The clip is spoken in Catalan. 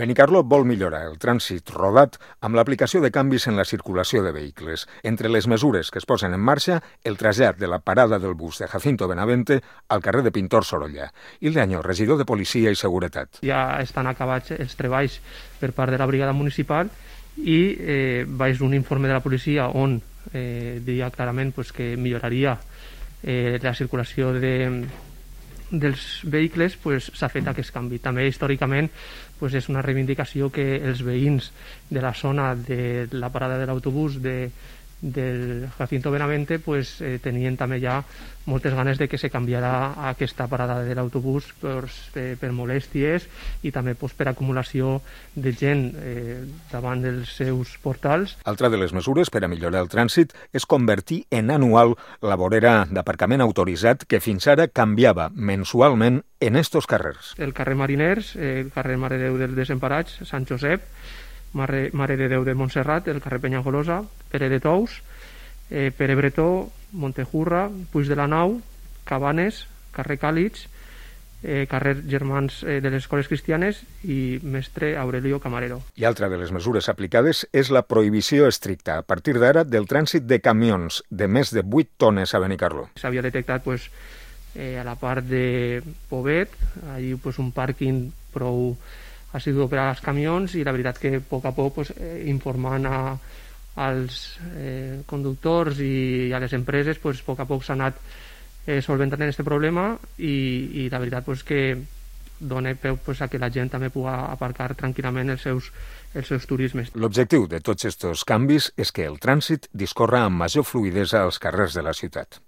Benicarló vol millorar el trànsit rodat amb l'aplicació de canvis en la circulació de vehicles. Entre les mesures que es posen en marxa, el trasllat de la parada del bus de Jacinto Benavente al carrer de Pintor Sorolla. Ildeaño, regidor de Policia i Seguretat. Ja estan acabats els treballs per part de la brigada municipal i vaig un informe de la policia on diria clarament que milloraria la circulació dels vehicles, s'ha fet aquest canvi. També històricament és una reivindicació que els veïns de la zona de la parada de l'autobús del Jacinto Benavente tenien també ja moltes ganes de que se canviarà aquesta parada de l'autobús per molèsties i també per acumulació de gent davant dels seus portals. Altra de les mesures per a millorar el trànsit és convertir en anual la vorera d'aparcament autoritzat que fins ara canviava mensualment en estos carrers. El carrer Mariners, el carrer Mare de Déu dels Desemparats, Sant Josep, Mare de Déu de Montserrat, el carrer Penyagolosa, Pere de Tous, Pere Bretó, Montejurra, Puig de la Nau, Cabanes, carrer Càlix, carrer Germans de les Escoles Cristianes i Mestre Aurelio Camarero. I altra de les mesures aplicades és la prohibició estricta a partir d'ara del trànsit de camions de més de 8 tones a Benicarló. S'havia detectat a la part de Pobet, allí un pàrquing prou assidu per als camions i la veritat que a poc a poc informant als conductors i a les empreses a poc a poc s'ha anat solventant aquest problema i la veritat que dona peu a que la gent també pugui aparcar tranquil·lament els seus turismes. L'objectiu de tots aquests canvis és que el trànsit discorra amb major fluïdesa als carrers de la ciutat.